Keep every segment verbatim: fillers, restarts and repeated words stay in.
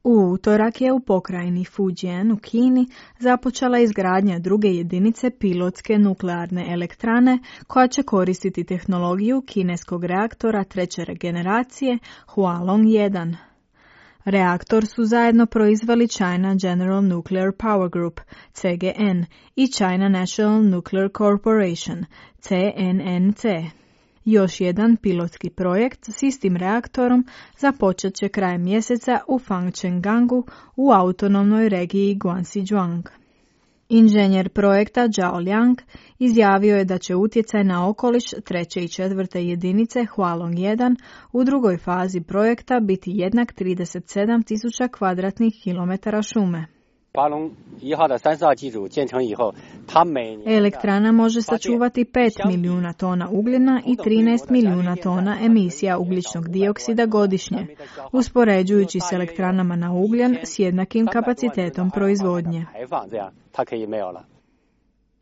U utorak je u pokrajini Fujian u Kini započela izgradnja druge jedinice pilotske nuklearne elektrane koja će koristiti tehnologiju kineskog reaktora treće generacije Hualong jedan. Reaktor su zajedno proizveli China General Nuclear Power Group C G N i China National Nuclear Corporation C N N C. Još jedan pilotski projekt s istim reaktorom započet će krajem mjeseca u Fangchenggangu u autonomnoj regiji Guangxi-Zhuang. Inženjer projekta Zhao Liang izjavio je da će utjecaj na okoliš treće i četvrte jedinice Hualong jedan u drugoj fazi projekta biti jednak trideset sedam tisuća kvadratnih kilometara šume. Elektrana može sačuvati pet milijuna tona ugljena i trinaest milijuna tona emisija ugljičnog dioksida godišnje, uspoređujući s elektranama na ugljen s jednakim kapacitetom proizvodnje.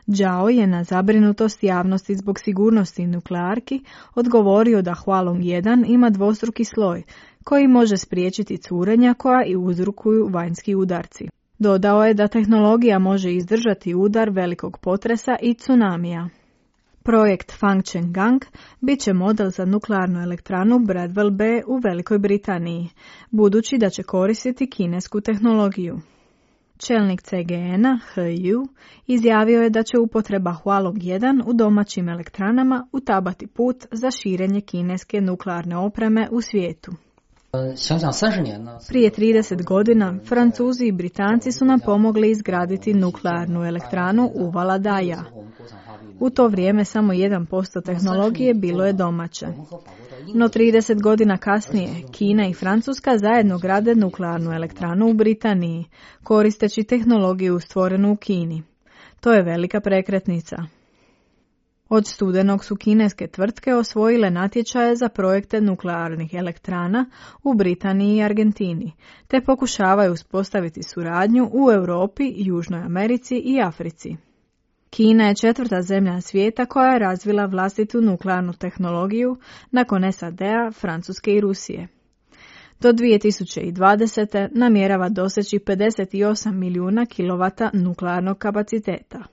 Zhao je na zabrinutost javnosti zbog sigurnosti nuklearki odgovorio da Hualong jedan ima dvostruki sloj koji može spriječiti curenja koja i uzrokuju vanjski udarci. Dodao je da tehnologija može izdržati udar velikog potresa i tsunamija. Projekt Fangchenggang bit će model za nuklearnu elektranu Bradwell B u Velikoj Britaniji, budući da će koristiti kinesku tehnologiju. Čelnik C G N-a He Yu izjavio je da će upotreba Hualong jedan u domaćim elektranama utabati put za širenje kineske nuklearne opreme u svijetu. Prije trideset godina Francuzi i Britanci su nam pomogli izgraditi nuklearnu elektranu u Valadaja. U to vrijeme samo jedan posto tehnologije bilo je domaće. No trideset godina kasnije Kina i Francuska zajedno grade nuklearnu elektranu u Britaniji, koristeći tehnologiju stvorenu u Kini. To je velika prekretnica. Od studenog su kineske tvrtke osvojile natječaje za projekte nuklearnih elektrana u Britaniji i Argentini, te pokušavaju uspostaviti suradnju u Europi, Južnoj Americi i Africi. Kina je četvrta zemlja svijeta koja je razvila vlastitu nuklearnu tehnologiju nakon S A D-a, Francuske i Rusije. Do dvije tisuće dvadesete namjerava doseći pedeset osam milijuna kilovata nuklearnog kapaciteta.